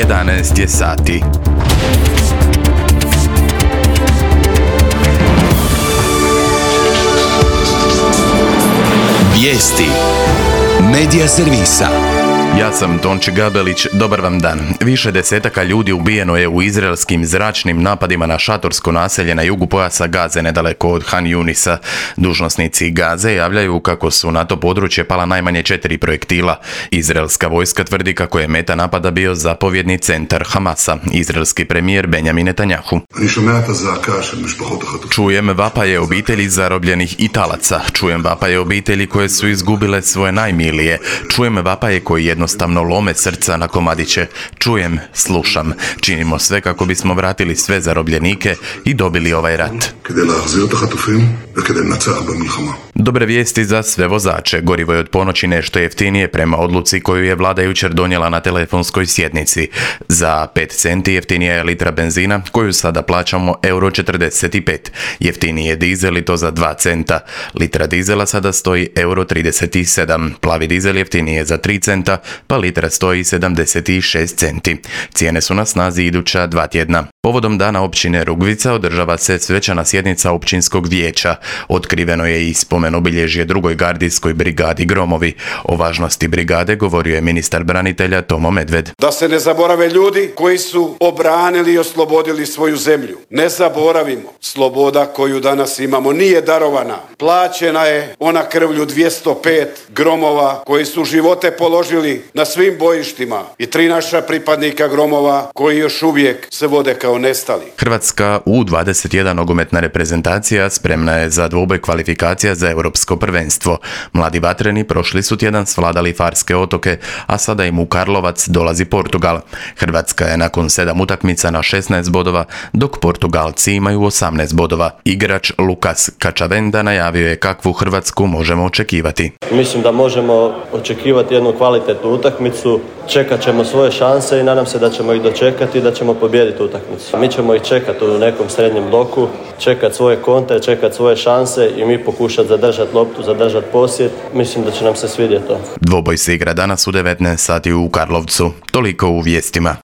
11 je sati. Vijesti Medija servisa. Ja sam Tonči Gabelić, dobar vam dan. Više desetaka ljudi ubijeno je u izraelskim zračnim napadima na šatorsko naselje na jugu pojasa Gaze, nedaleko od Han Junisa. Dužnosnici Gaze javljaju kako su na to područje pala najmanje 4 projektila. Izraelska vojska tvrdi kako je meta napada bio zapovjedni centar Hamasa, izraelski premijer Benjamin Netanjahu. Čujem vapaje obitelji zarobljenih Italaca, čujem vapaje obitelji koje su izgubile svoje najmilije, čujem vapaje koji jednostavno lome srca na komadiće. Čujem, slušam. Činimo sve kako bismo vratili sve zarobljenike i dobili ovaj rat. Dobre vijesti za sve vozače. Gorivo je od ponoći nešto jeftinije prema odluci koju je vlada jučer donijela na telefonskoj sjednici. Za 5 centi jeftinija je litra benzina koju sada plaćamo €45. Jeftiniji je dizel i to za 2 centa. Litra dizela sada stoji €37. Plavi dizel jeftiniji je za 3 centa, pa litra stoji 76 centi. Cijene su na snazi iduća 2 tjedna. Povodom dana općine Rugvica održava se svečana sjednica općinskog vijeća. Otkriveno je i spomen obilježje 2. gardijskoj brigadi Gromovi. O važnosti brigade govorio je ministar branitelja Tomo Medved. Da se ne zaborave ljudi koji su obranili i oslobodili svoju zemlju. Ne zaboravimo, sloboda koju danas imamo nije darovana. Plaćena je ona krvlju 205 Gromova koji su živote položili na svim bojištima i 3 naša pripadnika Gromova koji još uvijek se vode kao nestali. Hrvatska U21 nogometna reprezentacija spremna je za dvoboj kvalifikacija za europsko prvenstvo. Mladi vatreni prošli su tjedan svladali Farske otoke, a sada im u Karlovac dolazi Portugal. Hrvatska je nakon 7 utakmica na 16 bodova, dok Portugalci imaju 18 bodova. Igrač Lukas Kačavenda najavio je kakvu Hrvatsku možemo očekivati. Mislim da možemo očekivati jednu kvalitetnu utakmicu, čekat ćemo svoje šanse i nadam se da ćemo ih dočekati i da ćemo pobijediti utakmicu. Mi ćemo ih čekati u nekom srednjem bloku, čekati svoje kontre, čekati svoje šanse i mi pokušati zadržati loptu, zadržati posjed. Mislim da će nam se svidjeti to. Dvoboj se igra danas u 19 sati u Karlovcu. Toliko u vijestima.